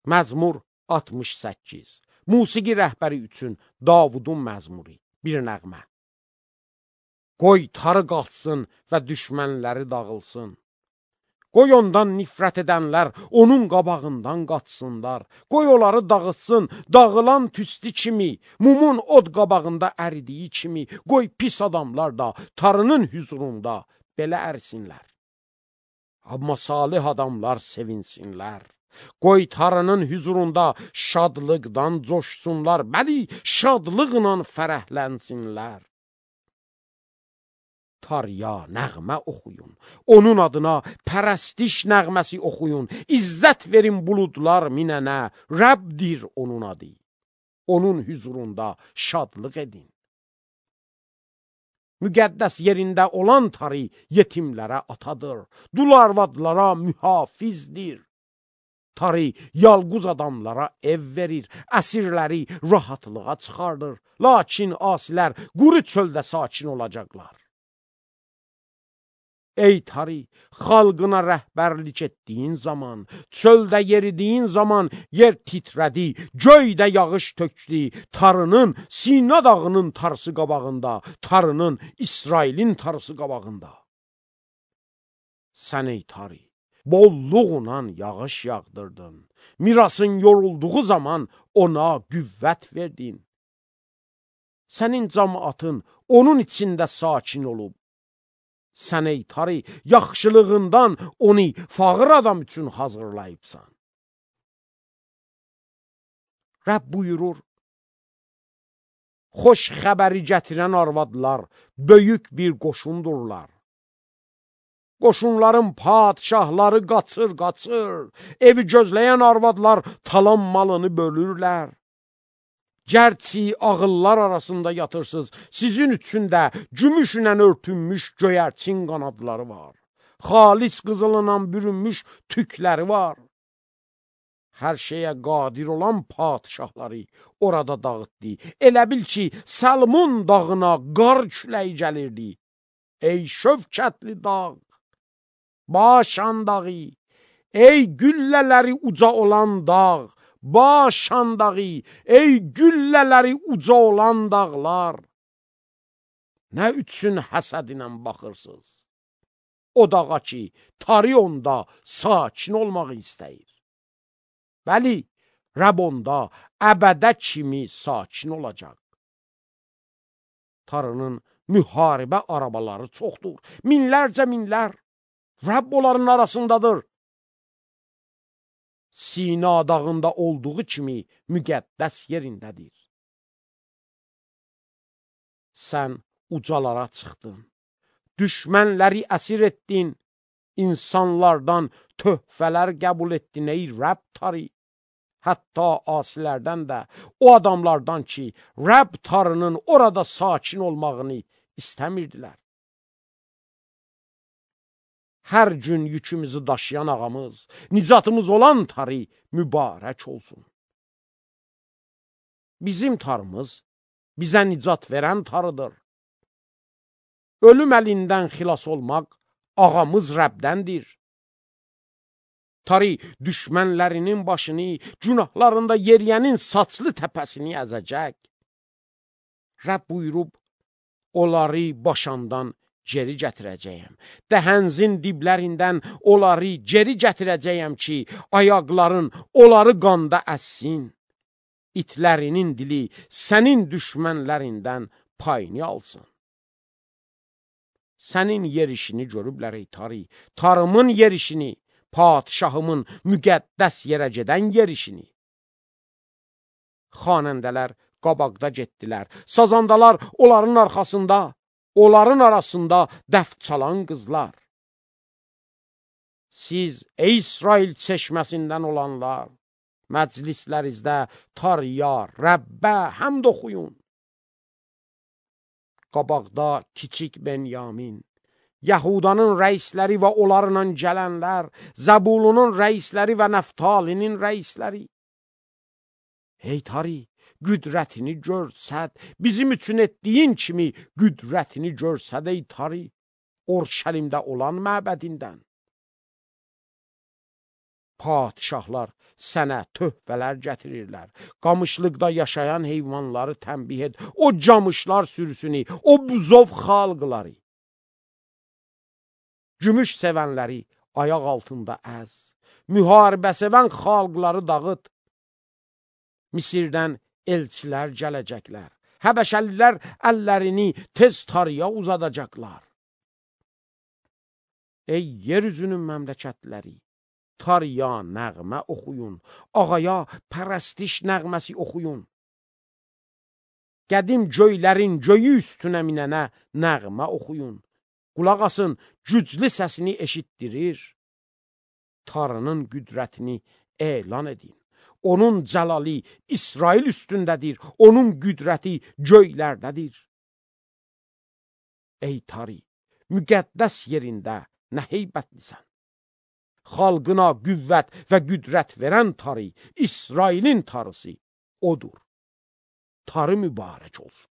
Məzmur 68. Musiqi rəhbəri üçün Davudun məzmuri. Bir nəğmə. Qoy tarı qalxsın və düşmənləri dağılsın. Qoy ondan nifrət edənlər onun qabağından qaçsınlar. Qoy onları dağıtsın, dağılan tüstü kimi, mumun od qabağında əridiyi kimi. Qoy pis adamlar da tarının hüzurunda belə ərsinlər. Amma salih adamlar sevinsinlər. Qoy tarının hüzurunda şadlıqdan coşsunlar. Bəli, şadlıqla fərəhlənsinlər. Tarya nəğmə oxuyun, onun adına pərəstiş nəğməsi oxuyun, İzzət verin buludlar minənə, Rəbdir onun adı, onun hüzurunda şadlıq edin. Müqəddəs yerində olan tarı yetimlərə atadır, dul arvadlara mühafizdir. Tarı yalquz adamlara ev verir, əsirləri rahatlığa çıxardır, lakin asilər quru çöldə sakin olacaqlar. Ey tarı, xalqına rəhbərlik etdiyin zaman, çöldə yeridiyin zaman yer titrədi, göydə yağış tökdü, tarının Sina dağının tarısı qabağında, tarının İsrailin tarısı qabağında. Sən ey tarı, bolluğla yağış yağdırdın, mirasın yorulduğu zaman ona qüvvət verdin. Sənin cəmaatın onun içində sakin olub. Sən ey tarı, yaxşılığından onu fağır adam üçün hazırlayıbsan. Rəbb buyurur, xoş xəbəri gətirən arvadlar böyük bir qoşundurlar. Qoşunların padişahları qaçır, evi gözləyən arvadlar talan malını bölürlər. Gərçi ağıllar arasında yatırsız, sizin üçün də gümüşlə örtünmüş göyərçin qanadları var. Xalis qızılına bürünmüş tükləri var. Hər şeyə qadir olan padişahları orada dağıtdı. Elə bil ki, Salmon dağına qar küləyi gəlirdi. Ey şövkətli dağ, Başan dağı, ey güllələri uca olan dağ, Başan dağı, ey güllələri uca olan dağlar. Nə üçün həsədinə baxırsınız? O dağa ki, tarı onda sakin olmağı istəyir. Bəli, Rəbb onda əbədə kimi sakin olacaq. Tarının müharibə arabaları çoxdur, minlərcə minlər. Rəbb onların arasındadır. Sina dağında olduğu kimi müqəddəs yerindədir. Sən ucalara çıxdın, düşmənləri əsir etdin, insanlardan töhfələr qəbul etdin ey Rəbb tarı. Hətta asilərdən də, o adamlardan ki, Rəbb tarının orada sakin olmağını istəmirdilər. Hər gün yükümüzü daşıyan ağamız, nicatımız olan tarı mübarək olsun. Bizim tarımız bizə nicat verən tarıdır. Ölüm əlindən xilas olmaq ağamız Rəbdəndir. Tarı düşmənlərinin başını, günahlarında yeriyənin saçlı təpəsini əzəcək. Rəbb buyurub, onları başandan geri gətirəcəyəm. Dəhənzin diblərindən onları geri gətirəcəyəm ki, ayaqların onları qanda əssin. İtlərinin dili sənin düşmənlərindən payını alsın. Sənin yerişini görüblər ey tarı, tarımın yerişini, padişahımın müqəddəs yerə gedən yerişini. Xanəndələr qabaqda getdilər, sazandalar onların arxasında, onların arasında dəf çalan qızlar. Siz, ey İsrail çeşməsindən olanlar, məclislərinizdə tarıya, Rəbbə həmd oxuyun. Qabaqda kiçik Benyamin, Yahudanın rəisləri və onlarla gələnlər, Zəbulunun rəisləri və Nəftalinin rəisləri. Ey tarı, qüdrətini görsəd, bizim üçün etdiyin kimi qüdrətini görsəd ey tarı, Orşəlimdə olan məbədindən. Padişahlar sənə töhfələr gətirirlər. Qamışlıqda yaşayan heyvanları tənbih et. O camışlar sürüsünü, o buzov xalqları. Gümüş sevənləri ayaq altında əz. Müharibə sevən xalqları dağıt. Misirdən elçilər gələcəklər. Həbəşəlilər əllərini tez tarıya uzadacaqlar. Ey yeryüzünün məmləkətləri, tarıya nəğmə oxuyun, ağaya pərəstiş nəğməsi oxuyun. Qədim göylərin göyü üstünə minənə nəğmə oxuyun. Qulaq asın, güclü səsini eşitdirir. Tarının qüdrətini elan edin. Onun cəlali İsrail üstündədir, onun qüdrəti göylərdədir. Ey tarı, müqəddəs yerində nə heybətlisən. Xalqına qüvvət və qüdrət verən tarı, İsrailin tarısı odur. Tarı mübarək olsun.